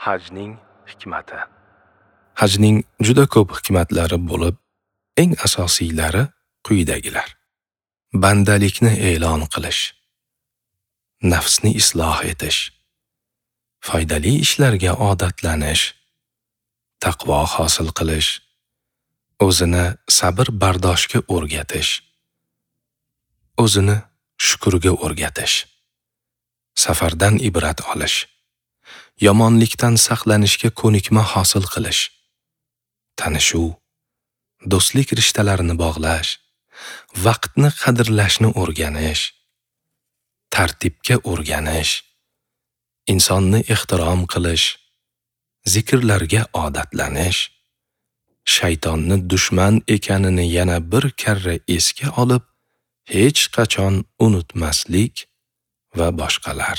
Hajning hikmati. Hajning juda ko'p hikmatlari bo'lib, eng asosiylari quyidagilar. Bandalikni e'lon qilish, nafsni isloh etish, foydali ishlarga odatlanish, taqvo hosil qilish, o'zini sabr bardoshga o'rgatish, o'zini shukrga o'rgatish, safardan ibrat olish, yomonlikdan saqlanishga ko'nikma hosil qilish, tanishuv, do'stlik rishtalarini bog'lash, vaqtni qadrlashni o'rganish, tartibga o'rganish, insonni ehtirom qilish, zikrlarga odatlanish, shaytonni dushman ekanini yana bir karra esga olib, hech qachon unutmaslik va boshqalar.